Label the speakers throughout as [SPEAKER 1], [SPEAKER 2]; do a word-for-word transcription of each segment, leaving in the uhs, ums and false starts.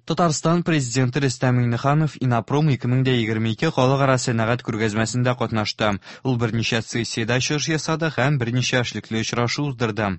[SPEAKER 1] Татарстан Президенты Рөстәм Миңнеханов Иннопром ике мең дә егерме ике халыкара сәнәгать күргәзмәсендә катнашты. Ул берничә сессиядә чыгыш ясады һәм берничә эшлекле очрашу уздырды.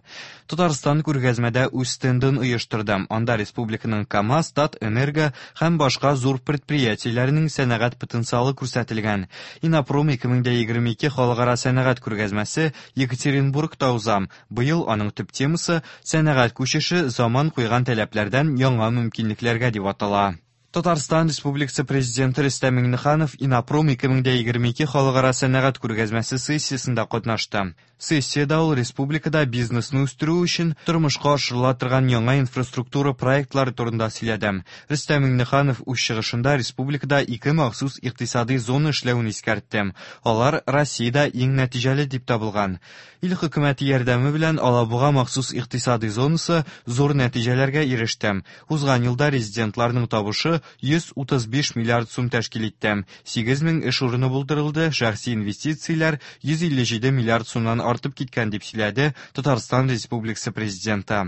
[SPEAKER 1] Татарстан күргәзмәдә үз стендын оештырды. Анда республиканың КАМАЗ, Татэнерго һәм башка зур предприятиеләренең сәнәгать потенциалы күрсәтелгән. Иннопром ике мең дә егерме ике халыкара сәнәгать күргәзмәсе Екатеринбургта уза. Быел аның төп темасы сәнәгать күчеше заман куйган таләпләрдән яңа мөмкинлекләргә дип атала. Татарстан Республикасы Президенты Рөстәм Миңнеханов Иннопром ике мең дә егерме ике халыкара сәнәгать күргәзмәсе сессиясендә катнашты. Сессиядә ул республикада бизнесны үстерү өчен тормышка ашырыла торган яңа инфраструктура проектлары турында сөйләде. Рөстәм Миңнеханов үз чыгышында республикада ике махсус икътисади зона эшләвен искәртте. Алар Россиядә иң нәтиҗәле дип табылган. Ил хөкүмәте ярдәме белән Алабуга махсус икътисади зонасы зур нәтиҗәләргә иреште. Узган елда резидентларның табышы йөз утыз биш миллиард сум тәшкил итте. Сигез мең эш урыны булдырылды, шәхси инвестицияләр йөз илле җиде миллиард сумнан артып киткән дип сөйләде Татарстан Республикасы Президенты.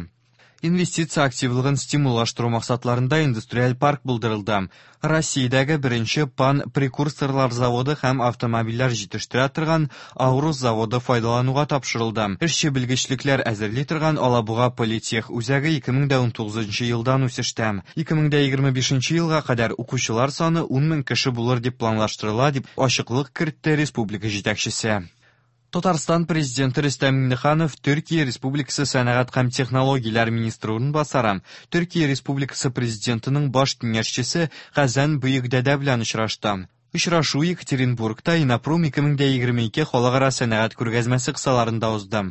[SPEAKER 1] Инвестиция активлыгын стимуллаштыру максатларында индустриаль парк булдырылды. Россиядәге беренче пан-прекурсорлар заводы һәм автомобильләр җитештерә торган Аурус заводы файдалануга тапшырылды. Эшче белгечлекләр әзерли торган Алабуга политех үзәге ике мең дә унтугызынчы елдан үсештә. Ике мең дә егерме бишенче елга кадәр укучылар саны ун мең кеше булыр дип планлаштырыла, дип ачыклык кертте республика җитәкчесе. Татарстан Президенты Рөстәм Миңнеханов Төркия Республикасы сәнәгать һәм технологияләр министры урынбасары, Төркия Республикасы Президентының баш киңәшчесе Хәзән Бөекдәдә белән очрашты. Очрашу Екатеринбургта Иннопром ике мең дә егерме ике халыкара сәнәгать күргәзмәсе кысаларында узды.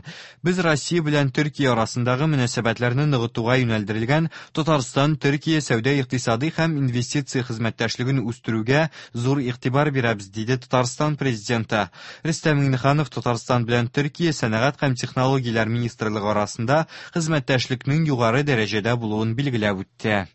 [SPEAKER 1] Без Россия белән Төркия арасындагы мөнәсәбәтләрне ныгытуга юнәлдерелгән Татарстан Төркия сәүдә-икътисади һәм инвестиция хезмәттәшлеген үстерүгә зур игътибар бирәбез, диде Татарстан Президенты. Рөстәм Миңнеханов Татарстан белән Төркия сәнәгать һәм технологияләр министрлыгы арасында хезмәттәшлекнең югары дәрәҗәдә булуын билгеләп үтте.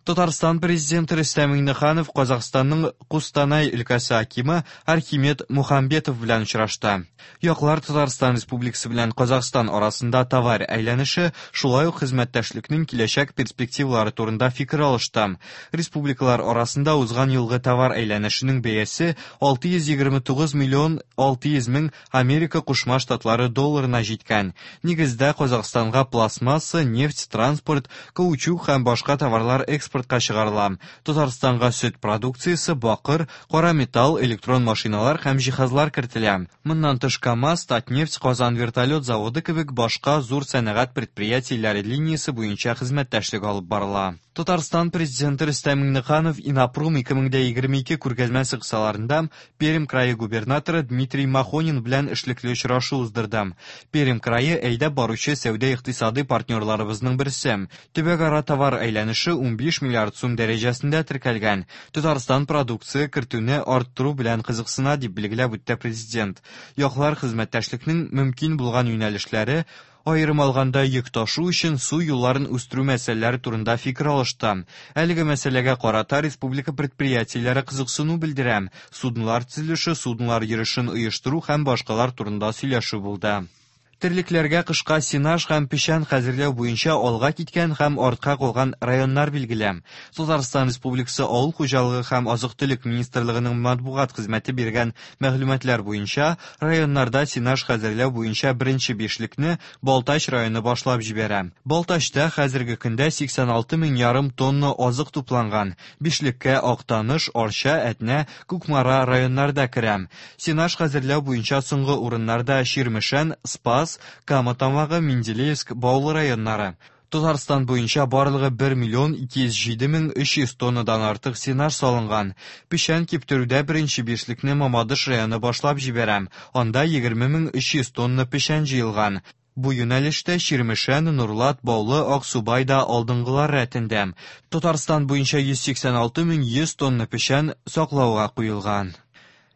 [SPEAKER 1] Татарстан Президенты Рөстәм Миңнеханов Казахстанның Кустанай өлкәсе акимы Архимед Мухамбетов белән очрашты. Яклар Татарстан Республикасы белән Казахстан арасында товар әйләнеше, шулай ук хезмәттәшлекнең киләчәк перспективалары турында фикер алышты. Республикалар арасында узган елгы товар әйләнешенең бәясе алты йөз егерме тугыз миллион алты йөз мең Америка Кушма Штатлары долларына җиткән. Нигездә Казахстанга пластмасса, нефть, транспорт, каучук һәм башка товарлар экспорт экспортка чыгарыла. Татарстанга сөт продукциясе, бакыр, кара металл, электрон машиналар һәм җиһазлар кертелә. Моннан тыш КАМАЗ, Татнефть, Казан вертолет заводы кебек башка зур сәнәгать предприятиеләре линиясе буенча хезмәттәшлек алып барыла. Татарстан Президенты Рөстәм Миңнеханов Иннопром ике мең дә егерме ике күргәзмәсе кысаларында Пермь крае губернаторы Дмитрий Махонин белән эшлекле очрашу уздырды. Пермь крае әйдәп баручы сәүдә-икътисади партнерларыбызның берсе. Төбәкара товар әйләнеше унбиш миллиард сум дәрәҗәсендә теркәлгән. Татарстан продукция кертүне арттыру белән кызыксына, дип билгеләп үтте президент. Яклар хезмәттәшлекнең мөмкин булган юнәлешләре, аерым алганда йөк ташу өчен су юлларын үстерү мәсьәләләре турында фикер алышты. Әлеге мәсьәләгә карата республика предприятиеләре кызыксыну белдерә. Суднолар төзелеше, суднолар йөрешен оештыру һәм башкалар турында сөйләшү булды. Терлекләргә кышка сенаж һәм печән хәзерләү буенча алга киткән һәм артка калган районнар билгеле. Татарстан Республикасы Авыл хуҗалыгы һәм азык-төлек министрлыгының матбугат хезмәте биргән мәгълүматлар буенча районнарда сенаж хәзерләү буенча беренче бишлекне Балтач районы башлап җибәрә. Балтачта хәзерге көндә сиксән алты мең ярым тонна азык тупланган. Бишлеккә Актаныш, Арча, Әтнә, Кукмара районнарда керә. Сенаж хәзерләү буенча соңгы урыннарда Чирмешән, Спас, Кама Тамагы, Менделеевск, Баулы районнары. Татарстан буенча барлыгы бер миллион ике йөз җиде мең өч йөз тоннадан артык сенаж салынган. Печән киптерүдә беренче бишлекне Мамадыш районы башлап җибәрә. Анда егерме мең өч йөз тонна печән җыелган. Бу юнәлештә Чирмешән, Нурлат, Баулы, Аксубай да алдынгылар рәтендә. Татарстан буенча йөз сиксән алты мең йөз тонна печән саклауга куелган.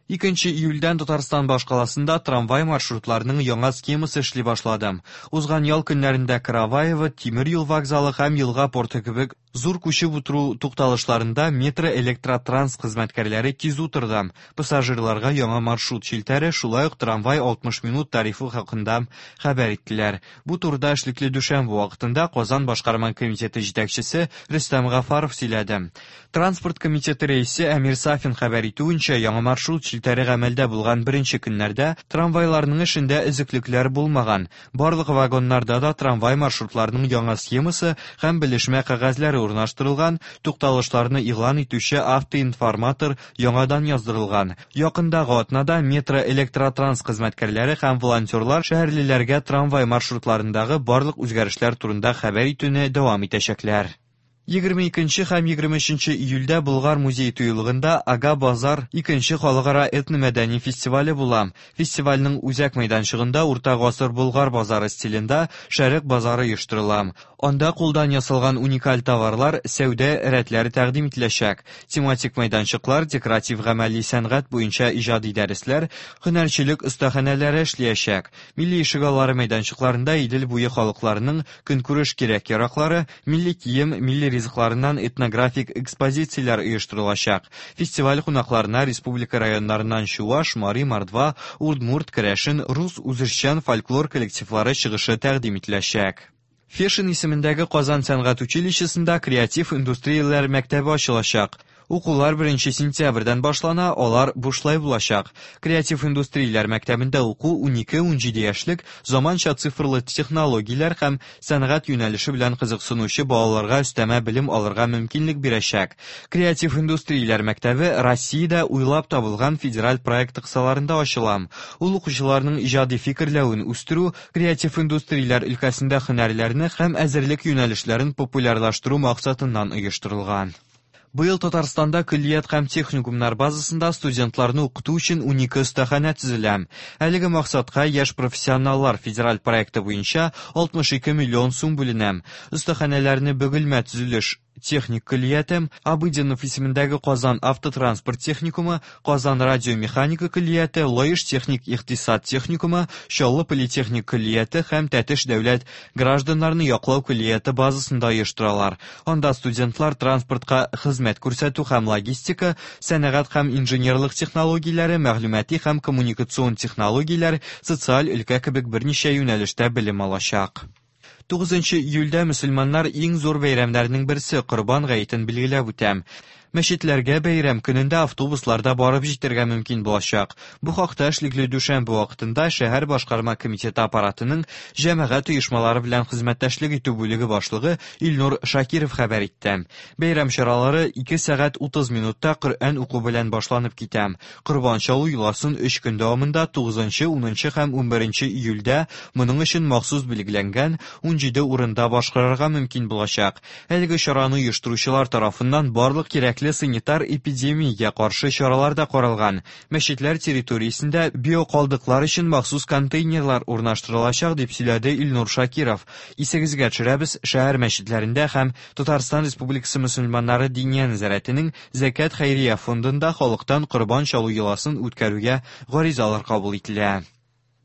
[SPEAKER 1] Икенче июльдән Татарстан башкаласында трамвай маршрутларының яңа схемасы эшли башлады. Узган ял көннәрендә Караваево, Тимер юл вокзалы һәм Елга порты кебек Зур күчеп утыру тукталышларында метро электротранс хезмәткәрләре кизү торды. Пассажирларга яңа маршрут челтәре, шулай ук трамвай алтмыш минут тарифы хакында хәбәр иттеләр. Бу турыда эшлекле дүшәмбе вакытында Казан башкарма комитеты җитәкчесе Рөстәм Гафаров сөйләде. Транспорт комитеты рәисе Әмир Сафин хәбәр итүенчә, яңа маршрут челтәре гамәлдә булган беренче көннәрдә трамвайларның эшендә өзеклекләр булмаган. Барлык вагоннарда да трамвай маршрутларының яңа схемасы һәм белешмә кәгазьләре урнаштырылган, тукталышларны игълан итүче автоинформатор яңадан яздырылган. Якындагы атнада метро электротранс хезмәткәрләре һәм волонтерлар шәһәрлеләргә трамвай маршрутларындагы барлык үзгәрешләр турында хәбәр итүне дәвам итәчәкләр. Егерме икенче һәм егерме өченче июльдә Болгар музей тыюлыгында Ага Базар икенче халыкара этномәдәни фестивале була. Фестивальнең үзәк мәйданчыгында Урта гасыр Болгар базары стилендә Шәрык базары оештырыла. Анда кулдан ясалган уникаль товарлар, сәүдә рәтләре тәкъдим ителәчәк. Тематик мәйданчыклар, декоратив гамәли сәнгать буенча иҗади дәресләр, һөнәрчелек остаханәләре эшләячәк. Милли ишегаллары мәйданчыкларында Идел буе халыкларының көнкүреш кирәк-яраклары, милли кием, милли ризыкларыннан этнографик экспозицияләр оештырылачак. Фестиваль кунакларына республика районнарыннан Чуваш, Мари, Мордва, Удмурт, Керәшен, рус үзешчән фольклор коллективлары чыгышы тәкъдим ителәчәк. Фешин исемендәге Казан сәнгать училищесында креатив индустрияләр мәктәбе ачылачак. Укулар беренче сентябрьдән башлана, алар бушлай булачак. Креатив индустрияләр мәктәбендә уку унике-унҗиде яшьлек заманча цифрлы технологияләр һәм сәнгать юнәлеше белән кызыксынучы балаларга өстәмә белем алырга мөмкинлек бирәчәк. Креатив индустрияләр мәктәбе Россиядә уйлап табылган федераль проект кысаларында ачыла. Ул укучыларның иҗади фикерләвен үстерү, креатив индустрияләр өлкәсендә һөнәрләрне һәм әзерлек юнәлешләрен популярлаштыру максатыннан оештырылган. Быел Татарстанда көллият һәм техникумнар базасында студентларны укыту өчен унике остаханә төзелә. Әлеге максатка Яшь профессионаллар федераль проекты буенча алтмыш ике миллион сум бүленә. Остаханәләрне Бөгелмә төзелеш техник көллияте, Абыдинов исемендәге Казан автотранспорт техникумы, Казан радиомеханика көллияте, Лаеш техник икътисад техникумы, Чаллы политехник көллияте һәм Тәтеш дәүләт гражданнарны яклау көллияте базасында оештыралар. Анда студентлар транспортка хезмәт күрсәтү һәм логистика, сәнәгать һәм инженерлык технологияләре, мәгълүмати һәм коммуникацион технологияләр, социаль өлкә кебек берничә юнәлештә белем алачак. Тугызынчы июльдә мөселманнар иң зур бәйрәмнәрнең берсе Корбан гаетен билгеләп үтә. Мәчетләргә бәйрәм көнендә автобусларда барып җитәргә мөмкин булачак. Бу хакта эшлекле дүшәмбе вакытында шәһәр башкарма комитеты аппаратының җәмәгать оешмалары белән хезмәттәшлек итү бүлеге башлыгы Илнур Шакиров хәбәр итте. Бәйрәм чаралары ике сәгать утыз минутта Коръән уку белән башланып китә. Корбан чалу йоласын өч көн дәвамында тугызынчы, унынчы һәм унберенче июльдә моның өчен махсус билгеләнгән унҗиде урында башкарырга мөмкин булачак. Әлеге чараны оештыручылар тарафыннан барлык кирәкле санитар эпидемиягә каршы чаралар да каралган. Мәчетләр территориясендә биокалдыклар өчен махсус контейнерлар урнаштырылачак, дип сөйләде Илнур Шакиров. Исегезгә төшерәбез, шәһәр мәчетләрендә һәм Татарстан Республикасы мөселманнары Диния нәзарәтенең Зәкят хәйрия фондында халыктан корбан чалу йоласын үткәрүгә гаризалар кабул ителә.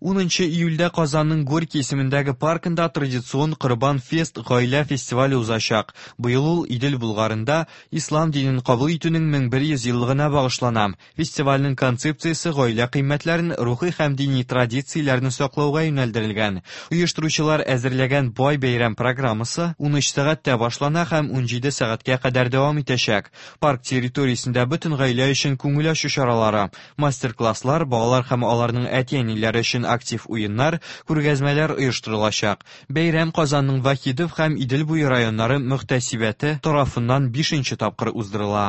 [SPEAKER 1] Унынчы июльдә Казанның Горький исемендәге паркында традицион Корбан фест гаилә фестивале узачак. Быел ул Идел Булгарында ислам динен кабул итүнең мең бер йөз еллыгына багышлана. Фестивальнең концепциясе гаилә кыйммәтләрен, рухи һәм дини традицияләрне саклауга юнәлдерелгән. Оештыручылар әзерләгән бай бәйрәм программасы унөч сәгатьтә башлана һәм унҗиде сәгатькә кадәр дәвам итәчәк. Парк территориясендә бөтен гаилә өчен күңел ачу чаралары, мастер-класслар, балалар һәм аларның әти-әниләре өчен актив уеннар, күргәзмәләр оештырылачак. Бәйрәм Казанның Вахидов һәм Идел буе районнары мөхтәсибәте тарафыннан бишенче тапкыр уздырыла.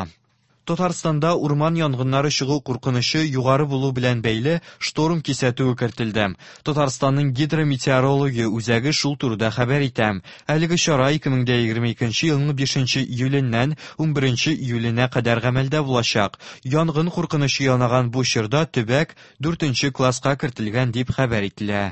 [SPEAKER 1] Татарстанда урман янгыннары чыгу куркынычы югары булу белән бәйле шторм кисәтүе кертелде. Татарстанның гидрометеорология үзәге шул турыда хәбәр итә. Әлеге чара ике мең дә егерме икенче елның бишенче июленнән унберенче июленә кадәр гамәлдә булачак. Янгын куркынычы янаган бу чорда төбәк дүртенче класска кертелгән дип хәбәр ителә.